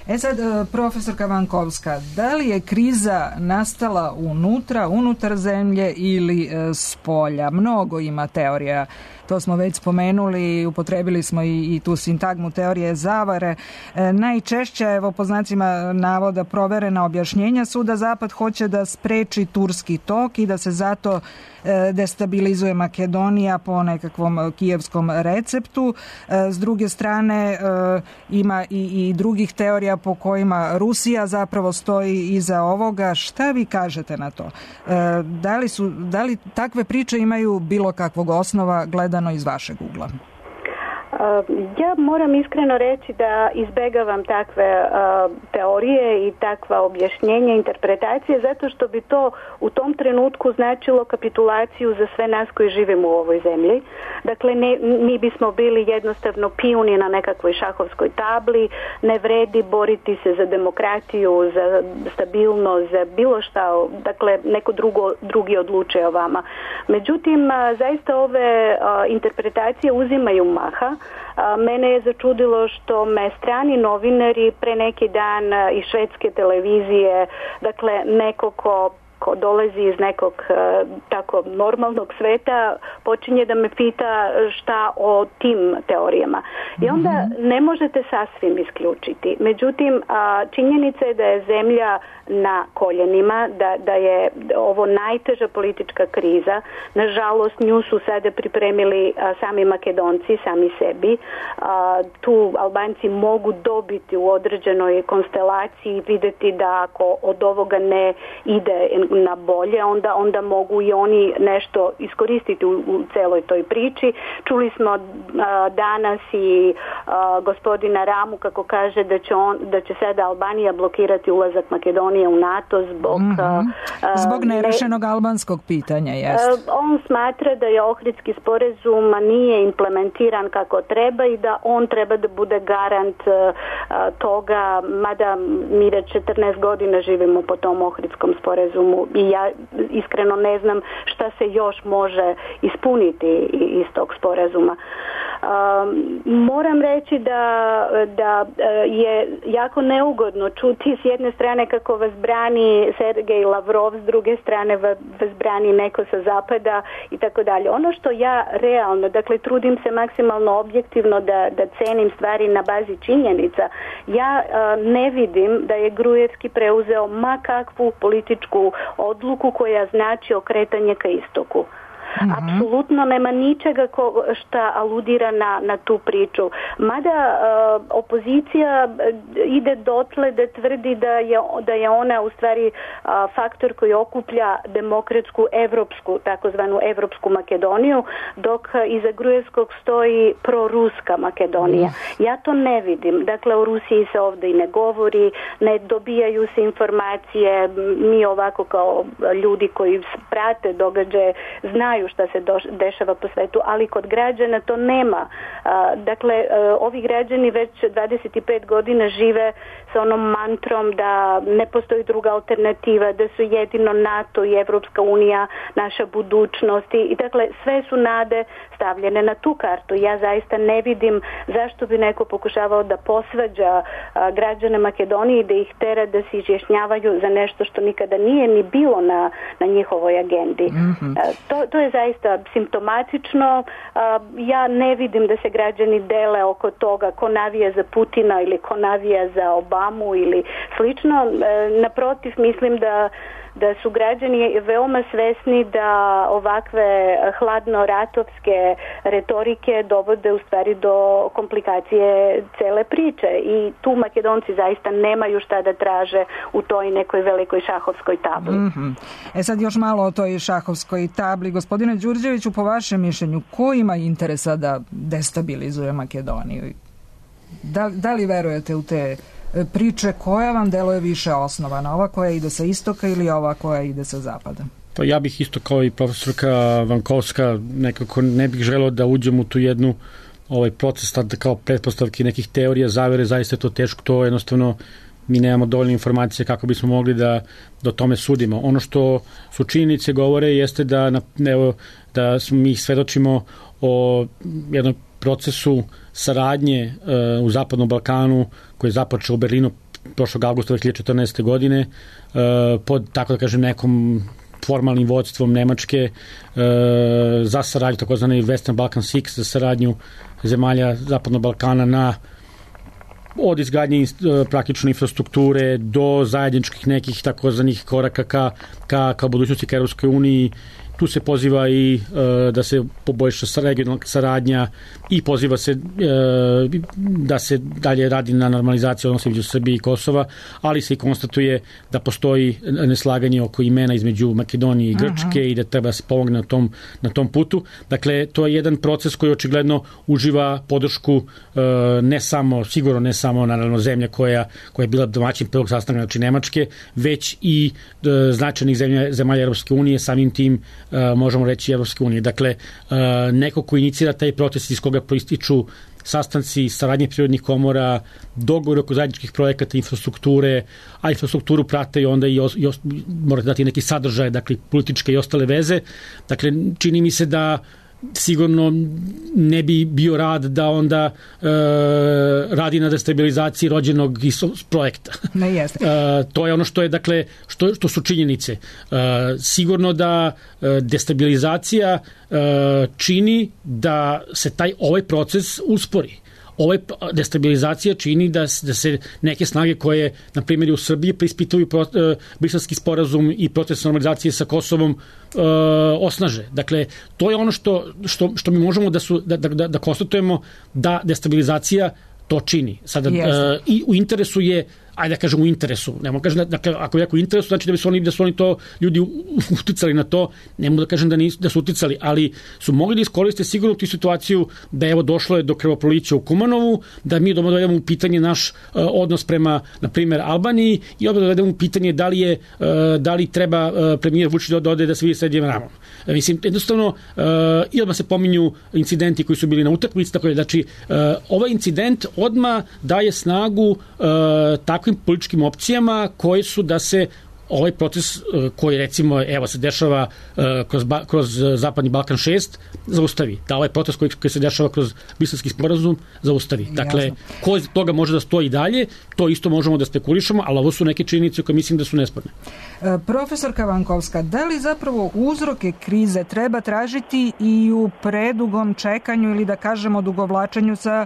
E sad, profesorka Vankovska, da li je kriza nastala unutra, unutar zemlje ili e, s polja? Mnogo ima teorija, to smo već spomenuli, upotrebili smo i, i tu sintagmu teorije zavare. E, najčešće, evo po znacima navoda, proverena objašnjenja su da Zapad hoće da spreči turski tok i da se zato e, destabilizuje Makedonija po nekakvom kijevskom receptu. E, s druge strane, e, ima i, i drugih teorija po kojima Rusija zapravo stoji iza ovoga. Šta vi kažete na to? E, da li su, da li takve priče imaju bilo kakvog osnova gledano iz vašeg ugla? Ja moram iskreno reći da izbegavam takve uh, teorije i takva objašnjenja, interpretacije, zato što bi to u tom trenutku značilo kapitulaciju za sve nas koji živimo u ovoj zemlji. Dakle, ne, mi bismo bili jednostavno pijuni na nekakvoj šahovskoj tabli, ne vredi boriti se za demokratiju, za stabilnost, za bilo šta, dakle, neko drugo, drugi odlučuje o vama. Međutim, uh, zaista ove uh, interpretacije uzimaju maha. A, mene je začudilo što me strani novinari pre neki dan iz švedske televizije, dakle neko ko ko dolazi iz nekog uh, tako normalnog sveta, počinje da me pita šta o tim teorijama. I onda ne možete sasvim isključiti. Međutim, uh, činjenica je da je zemlja na koljenima, da, da je ovo najteža politička kriza. Nažalost, nju su sada pripremili uh, sami Makedonci, sami sebi. Uh, tu Albanci mogu dobiti u određenoj konstelaciji, videti da ako od ovoga ne ide na bolje, onda, onda mogu i oni nešto iskoristiti u, u celoj toj priči. Čuli smo uh, danas i uh, gospodina Ramu kako kaže da će, on, da će sada Albanija blokirati ulazak Makedonije u NATO zbog... Mm-hmm. Uh, zbog nerešenog ne, albanskog pitanja, jest. Uh, on smatra da je Ohridski sporazum nije implementiran kako treba i da on treba da bude garant uh, toga, mada mi već četrnaest godina živimo po tom Ohridskom sporazumu i ja iskreno ne znam šta se još može ispuniti iz tog sporazuma. Um, moram reći da, da je jako neugodno čuti s jedne strane kako vas brani Sergej Lavrov, s druge strane vas brani neko sa zapada i tako dalje. Ono što ja realno, dakle trudim se maksimalno objektivno da, da cenim stvari na bazi činjenica, ja uh, ne vidim da je Grujevski preuzeo ma kakvu političku odluku koja znači okretanje ka istoku. Mm-hmm. Apsolutno nema ničega ko, šta aludira na, na tu priču. Mada uh, opozicija ide dotle da tvrdi da je, da je ona u stvari uh, faktor koji okuplja demokratsku evropsku, takozvanu evropsku Makedoniju, dok iza Grujevskog stoji proruska Makedonija. Mm. Ja to ne vidim. Dakle, o Rusiji se ovdje i ne govori, ne dobijaju se informacije. Mi ovako kao ljudi koji prate događaje znaju šta se do, dešava po svetu, ali kod građana to nema. A, dakle, a, ovi građani već dvadeset pet godina žive sa onom mantrom da ne postoji druga alternativa, da su jedino NATO i Evropska unija naša budućnost i dakle sve su nade stavljene na tu kartu. Ja zaista ne vidim zašto bi neko pokušavao da posvađa a, građane Makedonije i da ih tera da se izjašnjavaju za nešto što nikada nije ni bilo na, na njihovoj agendi. Mm-hmm. A, to, to je zaista simptomatično. A, ja ne vidim da se građani dele oko toga ko navija za Putina ili ko navija za Obamu ili slično. E, naprotiv, mislim da da su građani veoma svesni da ovakve hladno-ratovske retorike dovode u stvari do komplikacije cele priče i tu Makedonci zaista nemaju šta da traže u toj nekoj velikoj šahovskoj tabli. Mm-hmm. E sad još malo o toj šahovskoj tabli. Gospodine Đurđeviću, po vašem mišljenju, ko ima interesa da destabilizuje Makedoniju? Da, da li verujete u te priče, koja vam deluje više osnovana? Ova koja ide sa istoka ili ova koja ide sa zapada? Pa ja bih isto kao i profesorka Vankovska nekako ne bih želeo da uđem u tu jednu ovaj proces tad kao pretpostavki nekih teorija zavere, zaista je to teško, to jednostavno mi nemamo dovoljne informacije kako bismo mogli da, da o tome sudimo. Ono što su činjenice govore jeste da, evo, da smo mi svedočimo o jednom procesu saradnje uh, u Zapadnom Balkanu koji je započeo u Berlinu prošlog avgusta dve hiljade četrnaeste. godine uh, pod, tako da kažem, nekom formalnim vodstvom Nemačke uh, za saradnju, takozvani Western Balkan šest, za saradnju zemalja Zapadnog Balkana na od izgradnje uh, praktične infrastrukture do zajedničkih nekih takozvanih koraka ka, ka, ka budućnosti ka Europskoj uniji. Tu se poziva i e, da se poboljša regionalna saradnja i poziva se e, da se dalje radi na normalizaciji odnosa između Srbije i Kosova, ali se i konstatuje da postoji neslaganje oko imena između Makedonije i Grčke. Aha. I da treba se pomogne na tom, na tom putu. Dakle, to je jedan proces koji očigledno uživa podršku e, ne samo, sigurno ne samo naravno zemlja koja, koja je bila domaćin prvog sastanka, znači Nemačke, već i e, značajnih zemlja, zemalja Europske unije, samim tim Uh, možemo reći Evropske unije. Dakle, uh, neko ko inicira taj proces iz koga proističu sastanci, saradnje prirodnih komora, dogovor oko zajedničkih projekata, infrastrukture, a infrastrukturu prate i onda i, os, i os, morate dati neki sadržaj, dakle, političke i ostale veze. Dakle, čini mi se da sigurno ne bi bio rad da onda e, radi na destabilizaciji rođenog projekta. Ne jeste. E, to je ono što je, dakle, što, što su činjenice. E, sigurno da e, destabilizacija e, čini da se taj ovaj proces uspori. Ova destabilizacija čini da, da se neke snage koje, na primjer, u Srbiji preispituju pro, e, briselski sporazum i proces normalizacije sa Kosovom e, osnaže. Dakle, to je ono što, što, što mi možemo da, su, da, da, da konstatujemo da destabilizacija to čini. Sada, e, i u interesu je ajde da kažem u interesu. Ne mogu kažem da, dakle, ako je jako u interesu, znači da bi su oni, da su oni to ljudi uticali na to, ne mogu da kažem da, nisu, da su uticali, ali su mogli da iskoriste sigurno tu situaciju da evo došlo je do krvoprolića u Kumanovu, da mi dovedemo u pitanje naš uh, odnos prema, na primjer, Albaniji i odmah dovedemo u pitanje da li je, uh, da li treba uh, premijer Vučić da ode da se vidi srednjim ramom. Uh, mislim, jednostavno, uh, i odmah se pominju incidenti koji su bili na utakmici, tako je, znači, uh, ovaj incident odmah daje snagu uh, takvim političkim opcijama koje su da se ovaj proces koji recimo evo se dešava kroz, kroz Zapadni Balkan šest zaustavi, da ovaj proces koji, koji se dešava kroz Briselski sporazum zaustavi. Dakle, jasno. Ko iz toga može da stoji dalje, to isto možemo da spekulišemo, ali ovo su neke činjenice koje mislim da su nesporne. E, profesorka Vankovska, da li zapravo uzroke krize treba tražiti i u predugom čekanju ili da kažemo dugovlačenju sa e,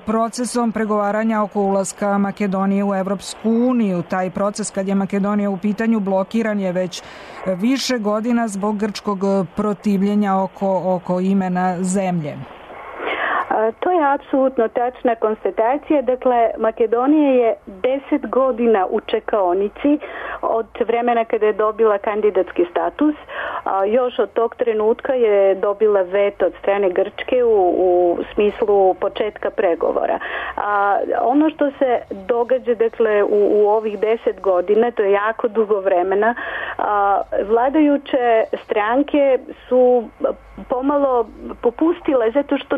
procesom pregovaranja oko ulaska Makedonije u Evropsku uniju? Taj proces kad je Makedonija u pitanju blokiran je već više godina zbog grčkog protivljenja oko, oko imena zemlje. To je apsolutno tačna konstatacija. Dakle, Makedonija je deset godina u čekaonici od vremena kada je dobila kandidatski status. A još od tog trenutka je dobila veto od strane Grčke u, u smislu početka pregovora. A ono što se događa, dakle, u, u ovih deset godina, to je jako dugo vremena, a, vladajuće stranke su pomalo popustile zato što,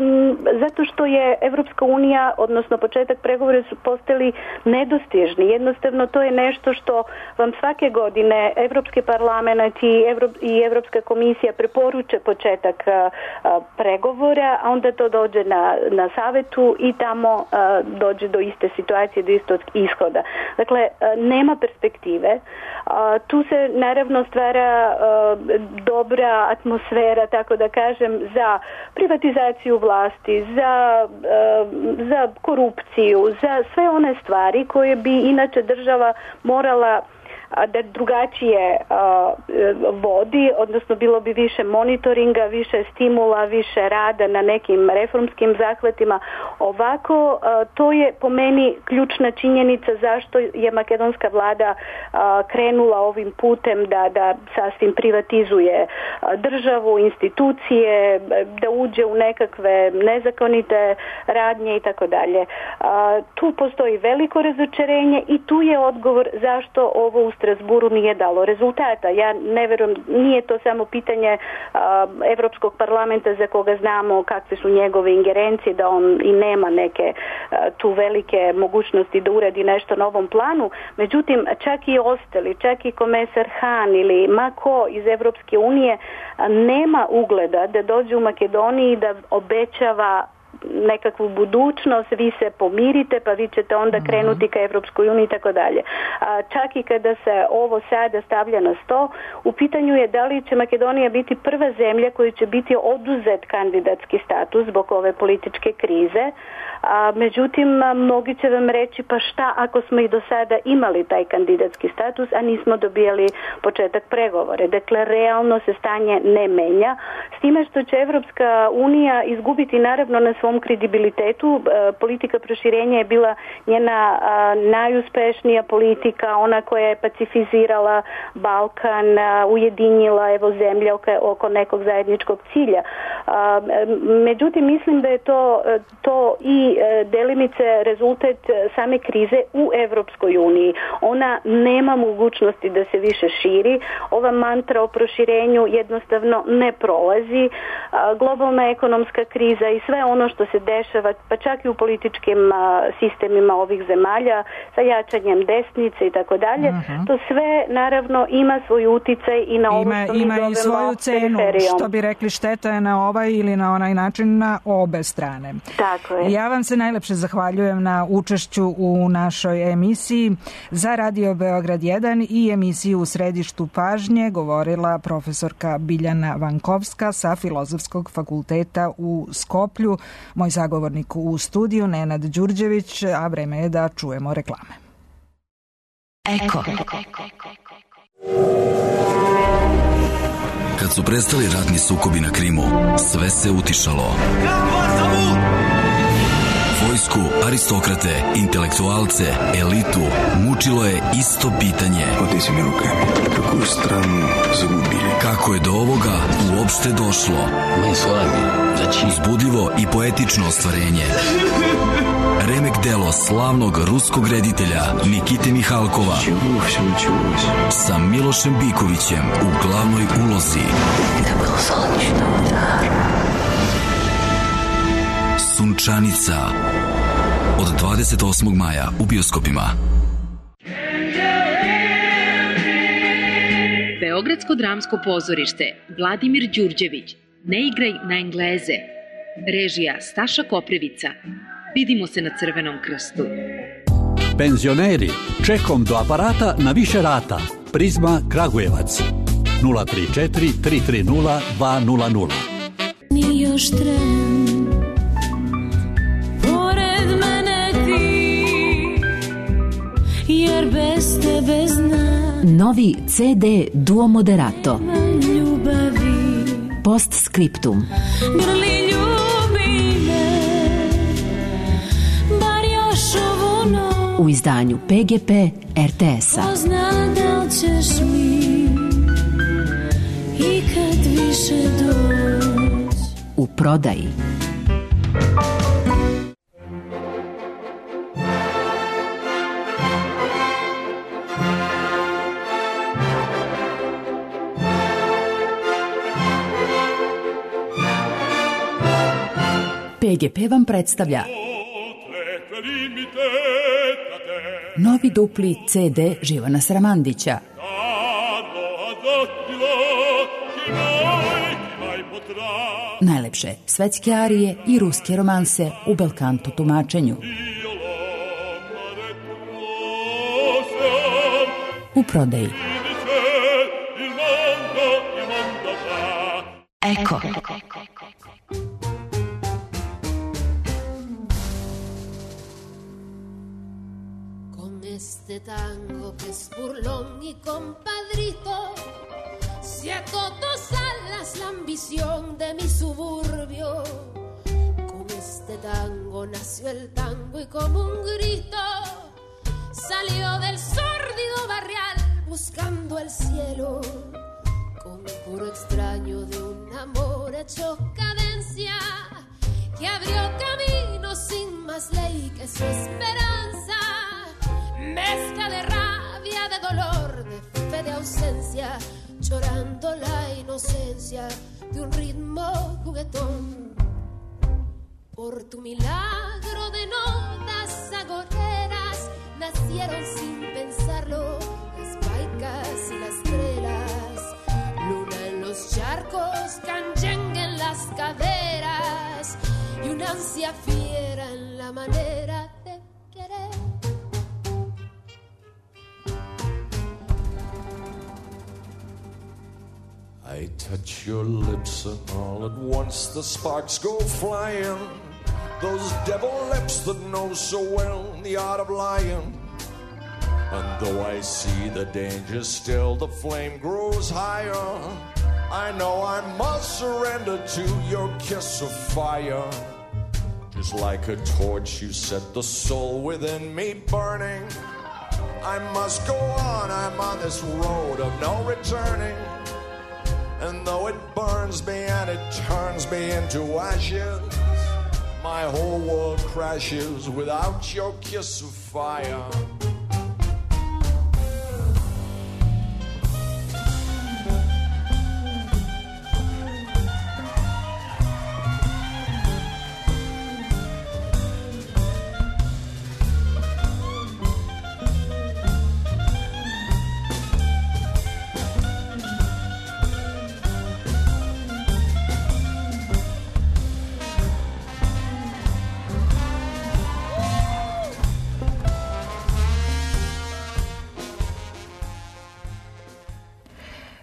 zato što je Evropska unija, odnosno početak pregovora su postali nedostižni. Jednostavno to je nešto što vam svake godine Evropski parlament i, Evro, i Evropska komisija preporuče početak a, a, pregovora, a onda to dođe na, na savetu i tamo a, dođe do iste situacije, do istog ishoda. Dakle, a, nema perspektive. A, tu se naravno stvara a, dobra atmosfera, tako da kažem, za privatizaciju vlasti, za, za korupciju, za sve one stvari koje bi inače država morala da drugačije uh, vodi, odnosno bilo bi više monitoringa, više stimula, više rada na nekim reformskim zahvatima. Ovako, uh, to je po meni ključna činjenica zašto je makedonska vlada uh, krenula ovim putem da, da sasvim privatizuje uh, državu, institucije, da uđe u nekakve nezakonite radnje i tako dalje. Tu postoji veliko razočarenje i tu je odgovor zašto ovo u Strasburu nije dalo rezultata. Ja ne verujem, nije to samo pitanje a, Evropskog parlamenta za koga znamo kakve su njegove ingerencije, da on i nema neke a, tu velike mogućnosti da uradi nešto na ovom planu. Međutim, čak i ostali, čak i komesar Han ili ma ko iz Evropske unije a, nema ugleda da dođe u Makedoniji da obećava nekakvu budućnost, vi se pomirite pa vi ćete onda krenuti ka Evropskoj uniji i tako dalje. Čak i kada se ovo sada stavlja na sto, u pitanju je da li će Makedonija biti prva zemlja koja će biti oduzet kandidatski status zbog ove političke krize. A, međutim, mnogi će vam reći pa šta ako smo i do sada imali taj kandidatski status, a nismo dobijali početak pregovore. Dakle, realno se stanje ne menja. S time što će Evropska unija izgubiti naravno na svom kredibilitetu. E, politika proširenja je bila njena a, najuspešnija politika, ona koja je pacifizirala Balkan, a, ujedinila evo zemlje oko, oko nekog zajedničkog cilja. A, međutim, mislim da je to, to i delimice rezultat same krize u Evropskoj uniji. Ona nema mogućnosti da se više širi. Ova mantra o proširenju jednostavno ne prolazi. Globalna ekonomska kriza i sve ono što se dešava, pa čak i u političkim sistemima ovih zemalja sa jačanjem desnice i tako dalje, to sve naravno ima svoj uticaj i na ovo što mi ima zovemo i svoju cenu, periferijom. što bi rekli šteta je na ovaj ili na onaj način na obe strane. Tako je. Ja vam se najlepše zahvaljujem na učešću u našoj emisiji. Za Radio Beograd jedan i emisiju U središtu pažnje govorila profesorka Biljana Vankovska sa Filozofskog fakulteta u Skoplju. Moj sagovornik u studiju Nenad Đurđević, a vreme je da čujemo reklame. Eko. Kad su prestali ratni sukobi na Krimu, sve se utišalo. vojsku, aristokrate, intelektualce, elitu, mučilo je isto pitanje. Otezime rukami, kakvu stranu zagubili. Kako je do ovoga uopšte došlo? Uzbudljivo i poetično ostvarenje. Remek delo slavnog ruskog reditelja Nikite Mihalkova sa Milošem Bikovićem u glavnoj ulozi. Sunčanica od dvadeset osmog maja u bioskopima. Beogradsko dramsko pozorište Vladimir Đurđević, Ne igraj na Engleze. Režija Staša Koprivica. Vidimo se na Crvenom krstu. Penzioneri, čekom do aparata na više rata. Prizma Kragujevac. nula tri četiri tri tri nula dva nula nula. Ni još tren, pored mene ti, jer bez tebe znam. Novi ce de Duo Moderato. Ljubavi. Postscriptum. Grli ljubi me, bar još ovu noć. U izdanju pe ge pe er te es-a. Pozna da li ćeš mi ikad više doći. U prodaji. pe ge pe vam predstavlja novi dupli ce de Živana Sramandića. Najlepše svetske arije i ruske romanse u belkanto tumačenju. U prodaji. Eko. Este tango que es burlón y compadrito, si a todos alas la ambición de mi suburbio. Con este tango nació el tango y como un grito salió del sórdido barrial buscando el cielo. Con puro extraño de un amor hecho cadencia que abrió camino sin más ley que su esperanza. Mezcla de rabia, de dolor, de fe, de ausencia, llorando la inocencia de un ritmo juguetón. Por tu milagro de notas agoreras nacieron sin pensarlo las paicas y las trelas. Luna en los charcos, canyengue en las caderas y una ansia fiera en la manera de querer. I touch your lips and all at once the sparks go flying. Those devil lips that know so well the art of lying. And though I see the danger still, the flame grows higher. I know I must surrender to your kiss of fire. Just like a torch you set the soul within me burning. I must go on, I'm on this road of no returning. And though it burns me and it turns me into ashes, my whole world crashes without your kiss of fire.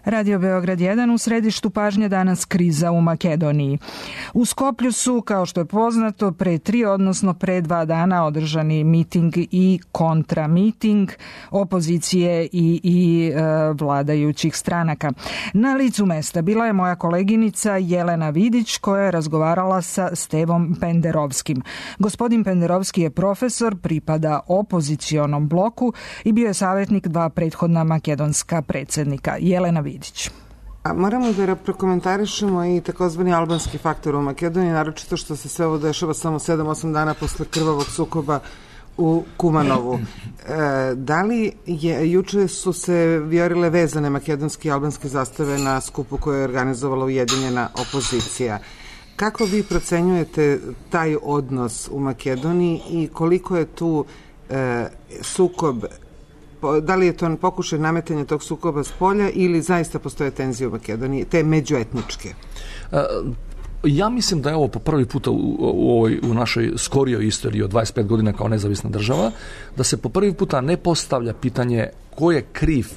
Radio Beograd jedan, u središtu pažnje danas kriza u Makedoniji. U Skoplju su, kao što je poznato, pre tri, odnosno pre dva dana održani miting i kontramiting opozicije i, i e, vladajućih stranaka. Na licu mesta bila je moja koleginica Jelena Vidić, koja je razgovarala sa Stevom Penderovskim. Gospodin Penderovski je profesor, pripada opozicionom bloku i bio je savjetnik dva prethodna makedonska predsjednika. Jelena Vidić. A moramo da prokomentarišemo i takozvani albanski faktor u Makedoniji, naročito što se sve ovo dešava samo sedam osam dana posle krvavog sukoba u Kumanovu. E, da li je, juče su se viorile vezane makedonske i albanske zastave na skupu koje je organizovala Ujedinjena opozicija. Kako vi procenjujete taj odnos u Makedoniji i koliko je tu e, sukob, da li je to pokušaj nametanja tog sukoba s polja ili zaista postoje tenzije u Makedoniji, te međuetničke? Ja mislim da je ovo po prvi puta u, u, ovoj, u našoj skorijoj istoriji od dvadeset pet godina kao nezavisna država, da se po prvi puta ne postavlja pitanje ko je kriv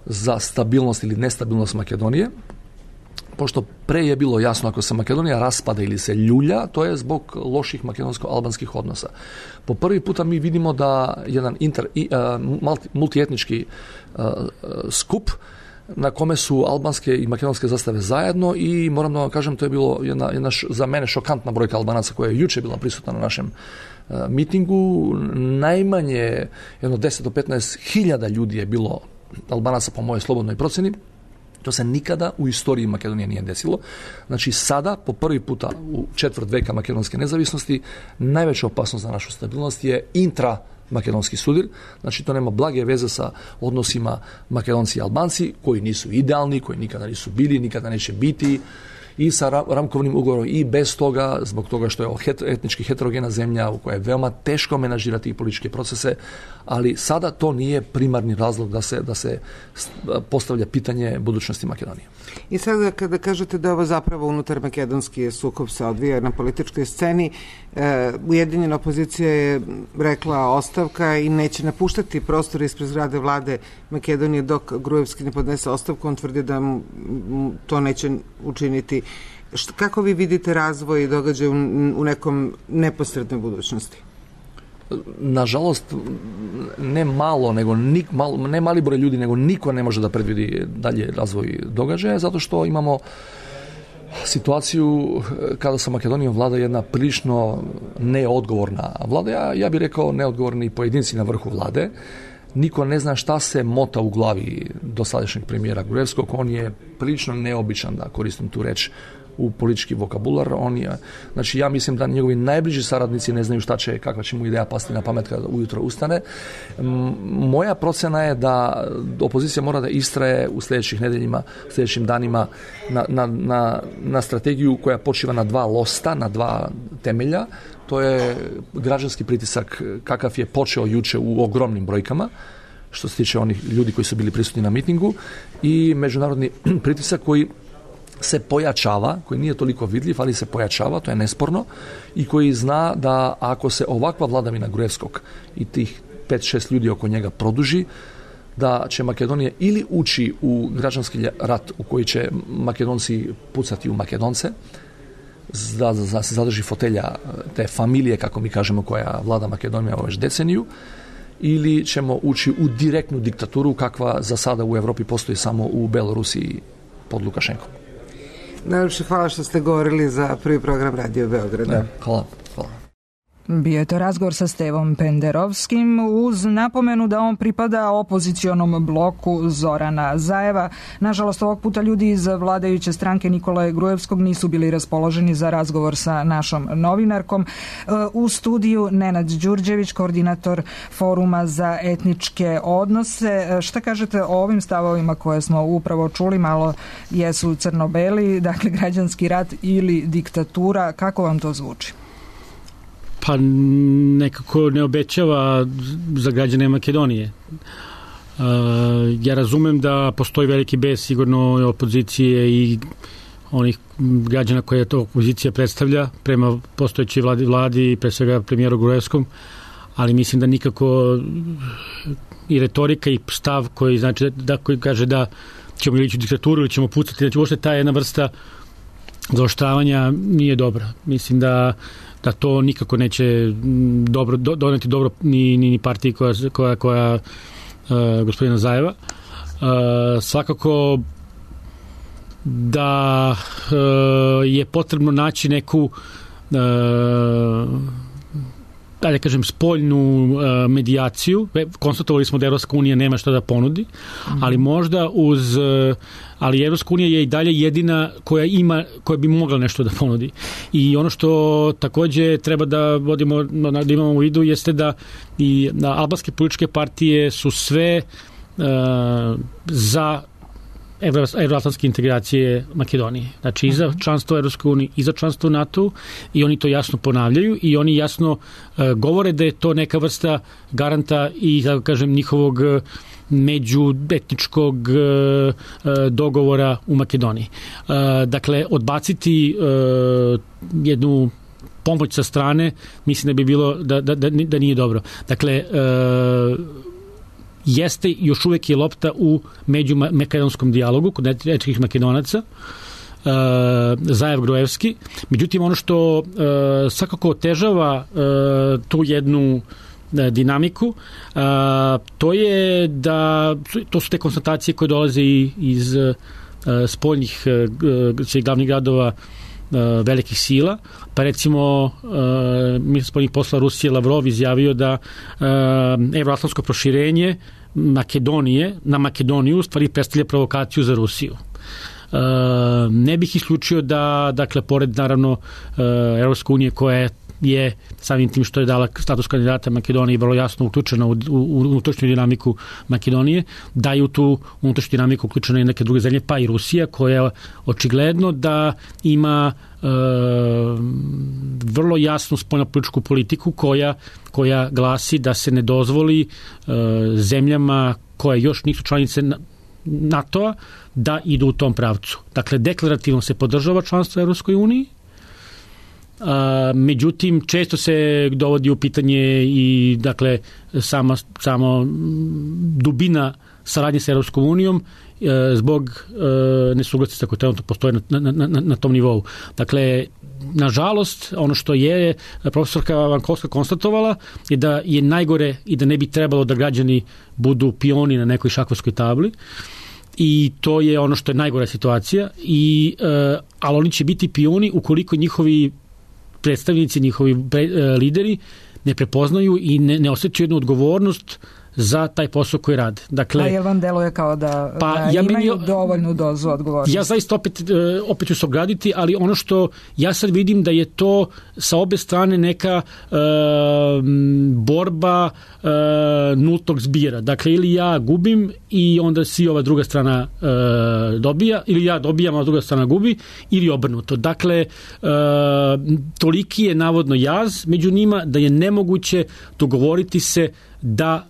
za stabilnost ili nestabilnost Makedonije, pošto pre je bilo jasno ako se Makedonija raspada ili se ljulja, to je zbog loših makedonsko-albanskih odnosa. Po prvi puta mi vidimo da jedan inter, uh, multietnički uh, skup na kome su albanske i makedonske zastave zajedno i moram da vam kažem, to je bilo jedna, jedna š, za mene šokantna brojka Albanaca koja je juče bila prisutna na našem uh, mitingu. Najmanje jedno deset do petnaest hiljada ljudi je bilo Albanaca po mojoj slobodnoj proceni. To se nikada u istoriji Makedonije nije desilo. Znači sada, po prvi puta u četvrt veka makedonske nezavisnosti, najveća opasnost za našu stabilnost je intra-makedonski sudir. Znači to nema blage veze sa odnosima Makedonci i Albanci, koji nisu idealni, koji nikada nisu bili, nikada neće biti, i sa ramkovnim ugovorom i bez toga, zbog toga što je het, etnički heterogena zemlja u kojoj je veoma teško menažirati političke procese, ali sada to nije primarni razlog da se, da se postavlja pitanje budućnosti Makedonije. I sada kada kažete da ovo zapravo unutar makedonski sukob se odvija na političkoj sceni, e, Ujedinjena opozicija je rekla ostavka i neće napuštati prostor ispred zgrade vlade Makedonije dok Gruevski ne podnese ostavku. On tvrdi da m, m, to neće učiniti. Št, kako vi vidite razvoj i događaj u, u nekom neposrednoj budućnosti? Nažalost, ne malo, nego nik, malo, ne mali broj ljudi, nego niko ne može da predvidi dalje razvoj događaja, zato što imamo situaciju kada sa Makedonijom vlada jedna prilično neodgovorna vlada. Ja, ja bih rekao neodgovorni pojedinci na vrhu vlade. Niko ne zna šta se mota u glavi dosadašnjeg premijera Gruevskog. On je prilično neobičan, da koristim tu reč, u politički vokabular. On je, znači ja mislim da njegovi najbliži saradnici ne znaju šta će, kakva će mu ideja pasti na pamet kada ujutro ustane. Moja procena je da opozicija mora da istraje u sljedećih nedeljima, u sljedećim danima na, na, na, na strategiju koja počiva na dva losta, na dva temelja. To je građanski pritisak kakav je počeo juče u ogromnim brojkama, što se tiče onih ljudi koji su bili prisutni na mitingu, i međunarodni pritisak koji se pojačava, koji nije toliko vidljiv, ali se pojačava, to je nesporno, i koji zna da ako se ovakva vladavina Gruevskog i tih pet šest ljudi oko njega produži, da će Makedonija ili ući u građanski rat u koji će Makedonci pucati u Makedonce, da, da se zadrži fotelja te familije, kako mi kažemo, koja vlada Makedonija već deceniju, ili ćemo ući u direktnu diktaturu kakva za sada u Evropi postoji samo u Belorusiji pod Lukašenkom. Najlepše hvala što ste govorili za prvi program Radio Beograda. Hvala. Hvala. Bio je to razgovor sa Stevom Penderovskim uz napomenu da on pripada opozicionom bloku Zorana Zajeva. Nažalost, ovog puta ljudi iz vladajuće stranke Nikole Gruevskog nisu bili raspoloženi za razgovor sa našom novinarkom. U studiju Nenad Đurđević, koordinator Foruma za etničke odnose. Šta kažete o ovim stavovima koje smo upravo čuli? Malo jesu crno-beli, dakle građanski rat ili diktatura. Kako vam to zvuči? Pa nekako ne obećava za građane Makedonije. Uh, ja razumem da postoji veliki bes sigurno opozicije i onih građana koje to opozicija predstavlja prema postojećoj vladi, vladi pre svega premijeru Gruevskom, ali mislim da nikako i retorika i stav koji znači da koji kaže da ćemo ići u diktaturu ili ćemo pucati, znači uopšte ta jedna vrsta zaoštravanja nije dobra. Mislim da da to nikako neće dobro doneti dobro ni ni partiji koja koja koja uh, gospodina Zajeva. Uh, svakako da uh, je potrebno naći neku uh, da kažem spoljnu uh, medijaciju. Konstatovali smo da Evropska unija nema šta da ponudi, mm-hmm. ali možda uz uh, ali Evropska unija je i dalje jedina koja ima, koja bi mogla nešto da ponudi. I ono što takođe treba da vodimo, da imamo u vidu jeste da i da albanske političke partije su sve uh, za evroatlantske integracije Makedonije. Znači i za članstvo Evropskoj uniji, i za članstvo NATO i oni to jasno ponavljaju i oni jasno uh, govore da je to neka vrsta garanta i, da kažem, njihovog međuetničkog uh, dogovora u Makedoniji. Uh, dakle, odbaciti uh, jednu pomoć sa strane, mislim da bi bilo da, da, da, da nije dobro. Dakle, uh, jeste još uvek je lopta u međumakedonskom dijalogu kod etničkih Makedonaca, uh, Zajev Grojevski. Međutim, ono što uh, svakako otežava uh, tu jednu uh, dinamiku, uh, to je da to su te konstatacije koje dolaze iz uh, spoljnih uh, glavnih gradova uh, velikih sila. Pa recimo uh, ministar spoljnih posla Rusije Lavrov izjavio da uh, evroatlantsko proširenje Makedonije na Makedoniju u stvari predstavlja provokaciju za Rusiju. Uh, ne bih isključio da, dakle, pored naravno uh, Evropske unije koja je samim tim što je dala status kandidata Makedoniji vrlo jasno uključena u, u, u unutrašnju dinamiku Makedonije, da je u tu unutrašnju dinamiku uključena i neke druge zemlje, pa i Rusija, koja očigledno da ima e, vrlo jasnu spoljnopolitičku politiku koja, koja glasi da se ne dozvoli e, zemljama koje još nisu članice NATO-a da idu u tom pravcu. Dakle, deklarativno se podržava članstvo u Evropskoj uniji, Uh, međutim, često se dovodi u pitanje i, dakle, sama, samo dubina saradnje sa Evropskom unijom uh, zbog uh, nesuglasica koje trenutno postoje na, na, na, na tom nivou. Dakle, nažalost, ono što je profesorka Vankovska konstatovala je da je najgore i da ne bi trebalo da građani budu pioni na nekoj šahovskoj tabli. I to je ono što je najgora situacija. I, uh, ali oni će biti pioni ukoliko njihovi predstavnici, njihovi pre, uh, lideri ne prepoznaju i ne, ne osjećaju jednu odgovornost za taj posao koji rade. Dakle, a jel vam deluje kao da, pa, da ja imaju meni, dovoljnu dozu odgovornosti? Ja zaista opet, opet ću se ograditi, ali ono što ja sad vidim da je to sa obe strane neka uh, borba uh, nultog zbira. Dakle, ili ja gubim i onda si ova druga strana uh, dobija, ili ja dobijam, a druga strana gubi, ili obrnuto. Dakle, uh, toliki je navodno jaz među njima da je nemoguće dogovoriti se da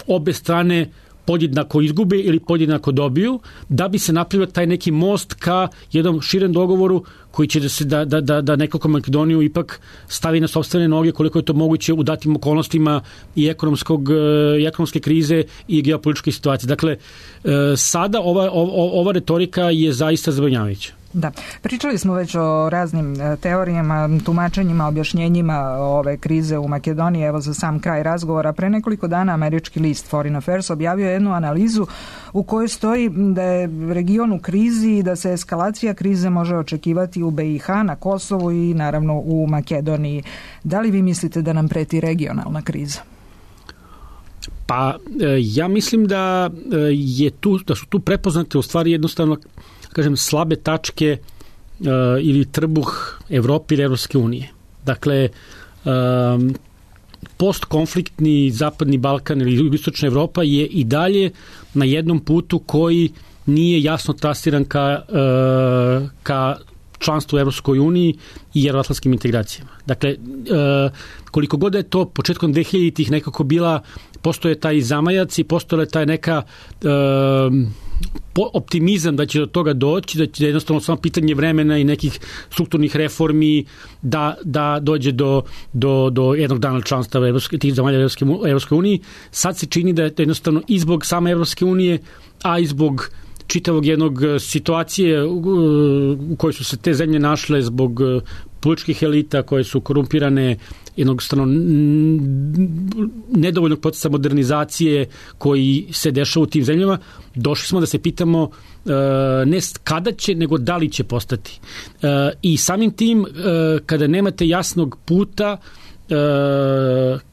obe strane podjednako izgube ili podjednako dobiju, da bi se napravio taj neki most ka jednom širem dogovoru koji će da se da, da, da, da nekako Makedoniju ipak stavi na sopstvene noge koliko je to moguće u datim okolnostima i ekonomskog i ekonomske krize i geopolitičke situacije. Dakle, sada ova, ova, ova retorika je zaista zabrinjavajuća. Da, pričali smo već o raznim teorijama, tumačenjima, objašnjenjima ove krize u Makedoniji. Evo za sam kraj razgovora. Pre nekoliko dana američki list Foreign Affairs objavio jednu analizu u kojoj stoji da je region u krizi i da se eskalacija krize može očekivati u be i ha, na Kosovu i naravno u Makedoniji. Da li vi mislite da nam preti regionalna kriza? Pa ja mislim da je tu, da su tu prepoznate u stvari jednostavno, kažem, slabe tačke uh, ili trbuh Evrope ili Evropske unije. Dakle, um, postkonfliktni Zapadni Balkan ili Istočna Evropa je i dalje na jednom putu koji nije jasno trasiran ka, uh, ka članstvu u Evropskoj uniji i evroatlantskim integracijama. Dakle, uh, koliko god je to početkom dvehiljaditih nekako bila, postoje taj zamajac i postoje taj neka uh, optimizam da će do toga doći, da će jednostavno samo pitanje vremena i nekih strukturnih reformi da, da dođe do, do, do jednog dana članstva Evropske, tih zamalja Evropske unije. Sad se čini da je to jednostavno i zbog same Evropske unije, a i zbog čitavog jednog situacije u kojoj su se te zemlje našle zbog političkih elita koje su korumpirane, jednostavno nedovoljnog procesa modernizacije koji se dešava u tim zemljama, došli smo da se pitamo ne kada će, nego da li će postati. I samim tim, kada nemate jasnog puta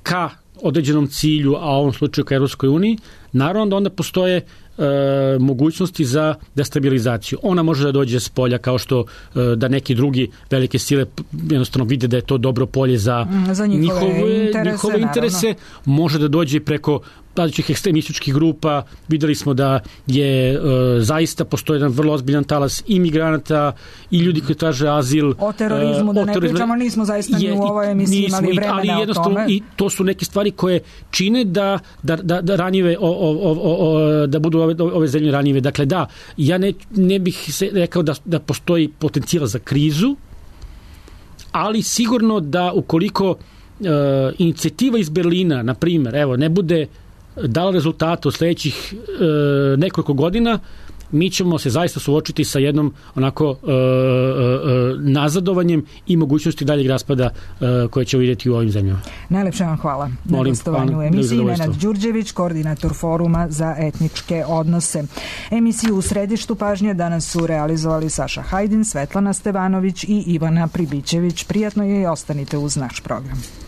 ka određenom cilju, a u ovom slučaju ka Evropskoj uniji, naravno da onda postoje E, mogućnosti za destabilizaciju. Ona može da dođe s polja kao što e, da neki drugi velike sile jednostavno vide da je to dobro polje za, za njihove, njihove interese, njihove interese. Može da dođe preko različitih ekstremističkih grupa. Videli smo da je e, zaista postoji jedan vrlo ozbiljan talas imigranata i ljudi koji traže azil. O terorizmu, da e, o ne terorizmu, pričamo, nismo zaista ni u ovoj emisiji nismo, imali vremena ali o tome. I to su neke stvari koje čine da, da, da, da ranjive o, o, o, o, da budu ove, ove zemlje ranjive. Dakle, da, ja ne, ne bih se rekao da, da postoji potencijal za krizu, ali sigurno da ukoliko e, inicijativa iz Berlina, na primjer, evo, ne bude dala rezultate u sledećih e, nekoliko godina, mi ćemo se zaista suočiti sa jednom onako e, e, nazadovanjem i mogućnosti daljeg raspada e, koje ćemo vidjeti u ovim zemljama. Najlepše vam hvala na gostovanju u emisiji. Nenad Đurđević, koordinator Foruma za etničke odnose. Emisiju U središtu pažnje danas su realizovali Saša Hajdin, Svetlana Stevanović i Ivana Pribićević. Prijatno je i ostanite uz naš program.